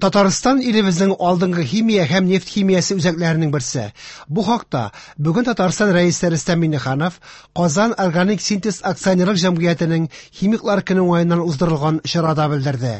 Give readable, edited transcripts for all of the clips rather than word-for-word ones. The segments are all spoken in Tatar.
Татарстан илебезнең алдынгы химия һәм нефть химиясе үзәкләренең берсе. Бу хакта бүген Татарстан Рәисе Рөстәм Миңнеханов Казан органик синтез акционерлык җәмгыятенең химиклар көне уңаеннан уздырылган чарада белдерде.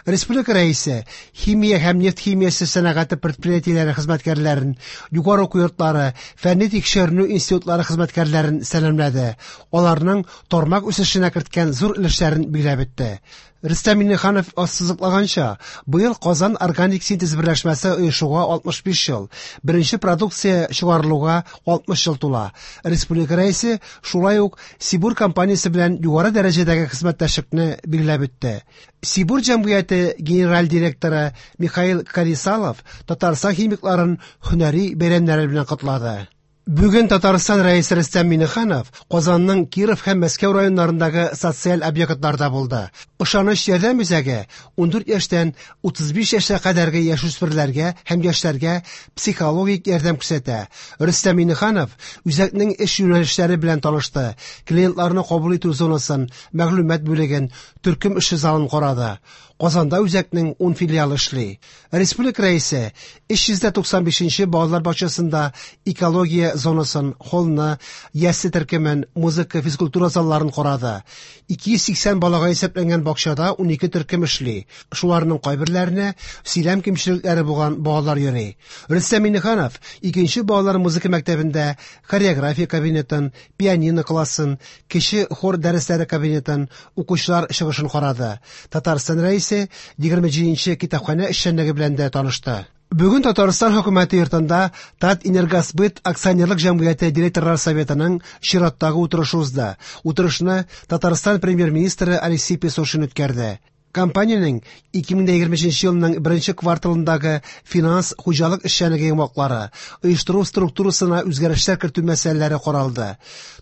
Республика Рәисе химия һәм нефть химиясе сәнәгате предприятиеләре хезмәткәрләрен, югары уку йортлары, фәнни тикшеренү институтлары хезмәткәрләрен сәламләде. Аларның тармак үсешенә керткән зур өлешләрен билгеләп үтте. Рөстәм Миңнеханов ассызыклаганча, быел Казан органик синтез берләшмәсе оешуга 65 ел, беренче продукция чыгарылуга 60 ел тула. Республика Рәисе шулай ук Сибур компаниясе белән югары дәрәҗәдәге хезмәттәшлекне билгеләп үтте. Сибур җәмгыяте генераль директоры Михаил Карисалов Татарстан химикларын һөнәри бәйрәмнәре белән котлады. Бүген Татарстан Рәисе Рөстәм Миңнеханов Казанның Киров һәм Мәскәү районнарындагы социаль объектларда булды. Ышаныч ярдәм үзәге 14 яшьтән 35 яшькә кадәрге яшүсмерләргә һәм яшьләргә психологик ярдәм күрсәтә. Рөстәм Миңнеханов үзәкнең эш юнәлешләре белән танышты, клиентларны кабул итү зонасын, мәгълүмат бүлеген, төркем эше залын карады. Казанда үзәкнең 10 филиалы эшли. Республика Рәисе 395 балалар бакчасында экология зонасын, холлны, ясле төркемен, музыка, физкультура залларын карады. 280 балага исәпләнгән бакчада 12 төркем эшли. Шуларның кайберләренә сөйләм кимчелекләре булган балалар йөри. Рөстәм Миңнеханов икенче балалар музыка мәктәбендә хореография кабинетын, пианино классын, кече хор дәресләре кабинетын, укучылар чыгышын карады. Татарстан Рәисе 27нче китапханә эшчәнлеге белән дә танышты. Бүген Татарстан хөкүмәте йортында Татэнергосбыт акционерлык җәмгыяте директорлар советының чираттагы утырышы узды. Утырышны Татарстан премьер-министры Алексей Песошин үткәрде. Компаниянең 2023 елның беренче кварталындагы финанс хуҗалык эшчәнлеге йомгаклары, оештыру структурасына үзгәрешләр кертү мәсьәләләре каралды.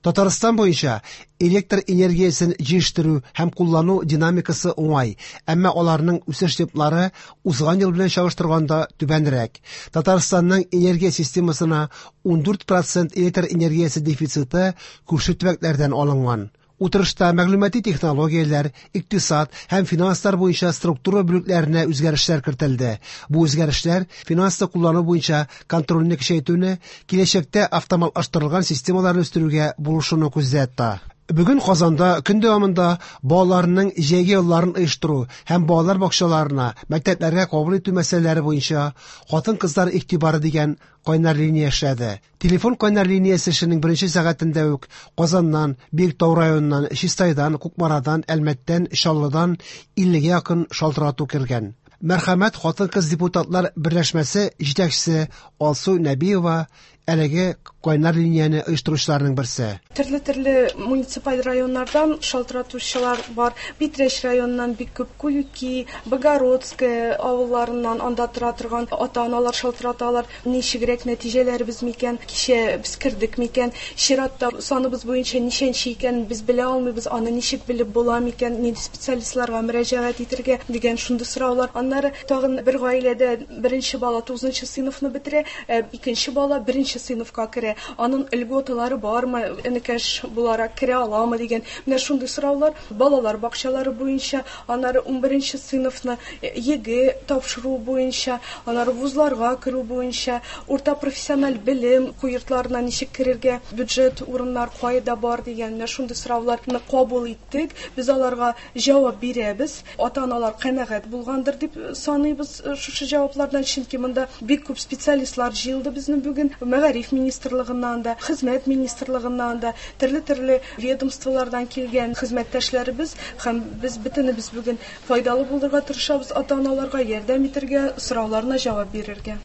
Татарстан буенча электр энергиясен җитештерү һәм куллану динамикасы уңай, әмма аларның үсеш темплары узган ел белән чагыштырганда түбәнрәк. Татарстанның энергия системасына 14% электр энергиясе дефициты күрше төбәкләрдән алынган. Утырышта мәгълүмати технологияләр, икътисад һәм финанслар буенча структура бүлекләренә үзгәрешләр кертелде. Бу үзгәрешләр финансны куллану буенча контрольне көчәйтүне, киләчәктә автоматлаштырылган системаларны үстерүгә булышуны күздә тота. Бүген Казанда көн дәвамында балаларның җәйге ялларын оештыру һәм балалар бакчаларына, мәктәпләргә кабул итү мәсьәләләре буенча хатын-кызлар игътибары дигән кайнар линия эшләде. Телефон кайнар линиясе эшенең беренче сәгатендә үк Казаннан, Биектау районыннан, Чистайдан, Кукмарадан, Әлмәттән, Чаллыдан 50-гә якын шалтырату кергән. Мәрхәмәт хатын-кыз депутатлар берләшмәсе җитәкчесе Алсу Нәбиева әлеге кайнар линияне оештыручыларның берсе. Төрле-төрле муниципаль районнардан шалтыратучылар бар. Питрәч районыннан бик күп, Куюки, Богородское авылларыннан анда тора торган ата-аналар шалтыраталар. Ничегрәк нәтиҗәләребез микән, кичә без кердек микән, чиратта саныбыз буенча ничәнче икән без белә алмыйбыз, аны ничек белеп була микән, нинди специалистларга мөрәҗәгать итергә дигән шундый сораулар. Аннары тагын бер гаиләдә беренче бала 9 сыйныфны бетерә, икенче бала беренче сыйныфка керә. Аның льготалары бармы, энекәш буларак керә аламы дигән менә шундый сораулар. Балалар бакчалары буенча, аннары 11 сыйныфны ЕГЭ тапшыру буенча, аннары вузларга керү буенча, урта профессиональ белем уку йортларына ничек керергә, бюджет урыннар кайда бар дигән менә шундый сорауларны кабул иттек. Без аларга җавап бирәбез. Ата-аналар канәгать булгандыр дип саныйбыз шушы җаваплардан, чөнки монда бик күп специалистлар җыелды безнең бүген. Мәгариф министрлыгыннан да, хезмәт министрлыгыннан да, төрле-төрле ведомстволардан килгән хезмәттәшләребез һәм без бөтенебез бүген файдалы булырга тырышабыз, ата-аналарга ярдәм итәргә, сорауларына җавап бирергә.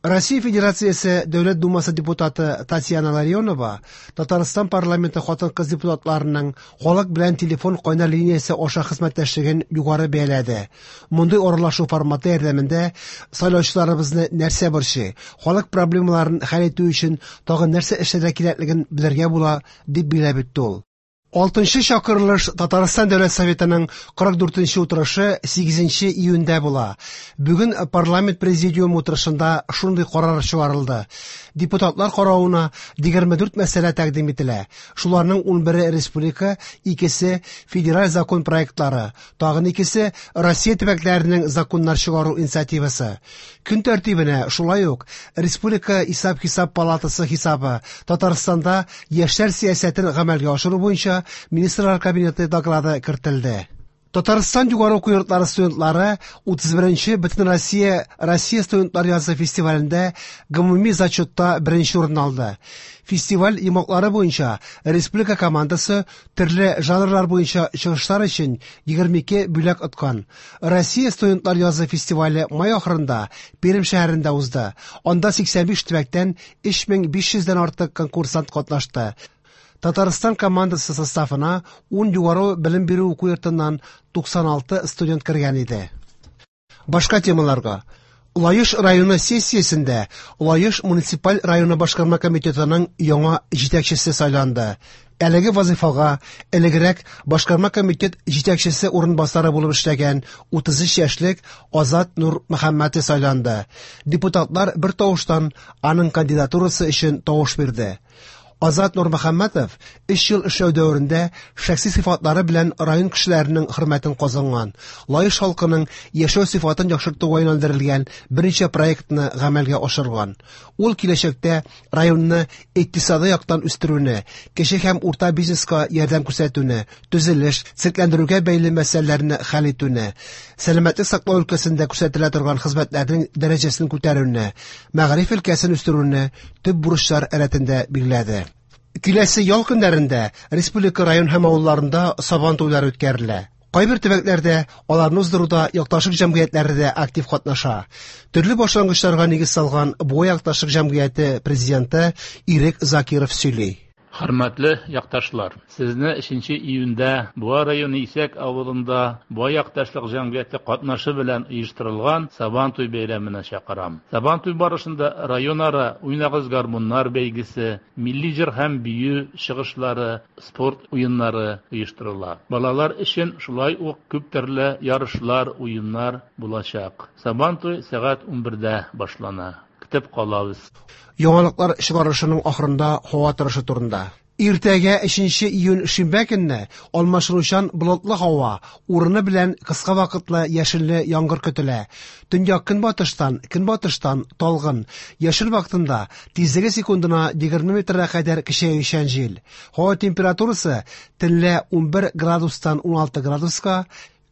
Россия Федерациясе Дәүләт Думасы депутаты Татьяна Ларионова Татарстан парламенты хатын-кыз депутатларының халык белән телефон кайнар линиясе аша хезмәттәшлеген югары бәяләде. Мондый аралашу форматы ярдәмендә сайлаучыларыбызны нәрсә борчый, халык проблемаларын хәл итү өчен тагын нәрсә эшләргә кирәклеген белергә була, дип билгеләп үтте ул. Алтынчы чакырылыш Татарстан Дәүләт Советының 44 нче утырышы 8 июньдә була. Бүген парламент президиумы утырышында шундый карар чыгарылды. Депутатлар каравына 24 мәсьәлә тәкъдим ителә. Шуларның 11-е республика, икесе федераль закон проектлары, тагын икесе Россия төбәкләренең законнар чыгару инициативасы. Көн тәртибенә шулай ук Республика исәп-хисап палатасы хисабы, Татарстанда яшьләр сәясәтен гамәлгә ашыру буенча Министрлар Кабинеты доклады кертелде. Татарстан югары уку йортлары студентлары 31 нче Бөтенроссия Россия студентлар язы фестивалендә гомуми зачетта беренче урын алды. Фестиваль йомгаклары буенча республика командасы төрле жанрлар буенча чыгышлар өчен 22 бүләк откан. Россия студентлар язы фестивале май ахырында Пермь шәһәрендә узды. Анда 85 төбәктән 3500 дән артык конкурсант катнашты. Татарстан командасы составына 10 югары белем бирү уку йортыннан 96 студент кергән иде. Башка темаларга. Лаеш районы сессиясендә Лаеш муниципаль районы башкарма комитетының яңа җитәкчесе сайланды. Әлеге вазыйфага элегрәк башкарма комитет җитәкчесе урынбасары булып эшләгән 33 яшьлек Азат Нурмөхәммәтов сайланды. Депутатлар бер тавыштан аның кандидатурасы өчен тавыш бирде. Азат Нурмөхәммәтов өч ел эшләү дәверендә шәхси сыйфатлары белән район кешеләренең хөрмәтен казанган, Лаеш халкының яшәү сыйфатын яхшыртуга юнәлдерелгән берничә проектны гамәлгә ашырган. Ул киләчәктә районны икътисадый яктан үстерүне, кече һәм урта бизнеска ярдәм күрсәтүне, төзелеш, төзекләндерүгә бәйле мәсьәләләрне хәл итүне, сәламәтлек саклау өлкәсендә күрсәтелә торган хезмәтләрнең дәрәҗәсен күтәрүне, мәгариф өлкәсен үстерүне төп бурычлар рәтендә билгеләде. Киләсе ял көннәрендә республика район һәм авылларында Сабан туйлары үткәрелә. Кайбер төбәкләрдә аларны уздыруда якташлык җәмгыятьләре дә актив катнаша. Төрле башлангычларга нигез салган Буа якташлык җәмгыяте президенты Ирек Закиров сөйли. Хөрмәтле якташлар! Сезне өченче июньдә Буа районы Исәк авылында Буа якташлык җәмгыяте катнашы белән оештырылган Сабантуй бәйрәменә чакырам. Сабантуй барышында районара Уйнагыз гармуннар бәйгесе, милли җыр һәм бию чыгышлары, спорт уеннары оештырыла. Балалар өчен шулай ук күп төрле ярышлар, уеннар булачак. Сабантуй сәгать 11дә башлана. Көтеп калабыз. Яңалыклар чыгарылышының ахырында һава торышы турында. Иртәгә 3 июнь шимбә көнне алмашынучан болытлы һава, урыны белән кыска вакытлы яшенле яңгыр көтелә. Төньяк-көнбатыштан, көнбатыштан талгын, яшен вакытында тизлеге секундына 20 метрга кадәр көчәючән җил. Һава температурасы төнлә 11 градустан 16 градуска,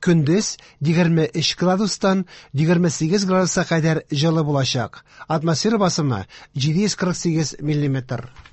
көндез 23 градустан 28 градуска кадәр җылы булачак. Атмосфера басымы 748 миллиметр.